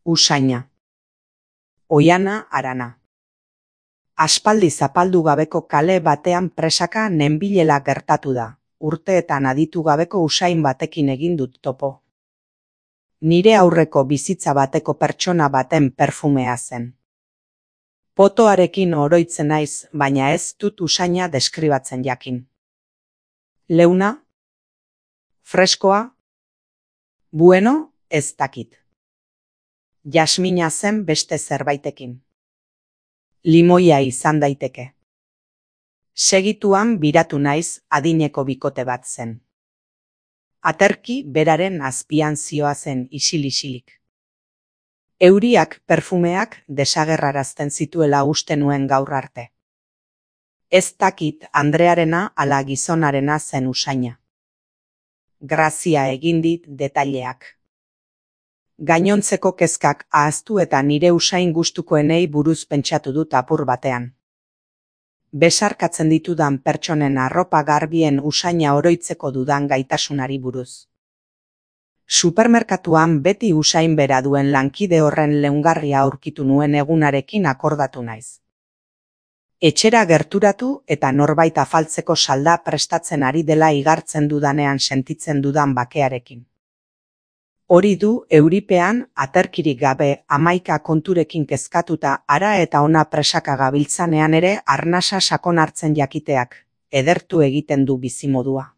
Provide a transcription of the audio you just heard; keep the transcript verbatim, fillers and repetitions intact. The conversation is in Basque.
Usaina. Oiana Arana. Aspaldi zapaldu gabeko kale batean presaka nenbilela gertatu da, urteetan aditu gabeko usain batekin egin dut topo. Nire aurreko bizitza bateko pertsona baten perfumea zen. Potoarekin oroitzen naiz, baina ez dut usaina deskribatzen jakin. Leuna? Freskoa? Bueno, ez dakit. Jasmina zen beste zerbaitekin. Limoia izan daiteke. Segituan biratu naiz adineko bikote bat zen. Aterki beraren azpian zioazen isil-isilik. Euriak perfumeak desagerrarazten zituela uste nuen gaur arte. Ez dakit Andrearena ala gizonarena zen usaina. Grazia egin dit detaileak. Gainontzeko kezkak ahaztu eta nire usain gustukoenei buruz pentsatu dut apur batean. Besarkatzen ditudan pertsonen arropa garbien usaina oroitzeko dudan gaitasunari buruz. Supermerkatuan beti usain bera duen lankide horren leungarria aurkitu nuen egunarekin akordatu naiz. Etxera gerturatu eta norbait afaltzeko salda prestatzen ari dela igartzen dudanean sentitzen dudan bakearekin. Hori du euripean aterkirik gabe hamaika konturekin kezkatuta hara eta ona presaka gabiltzanean ere arnasa sakon hartzen jakiteak, edertu egiten du bizimodua.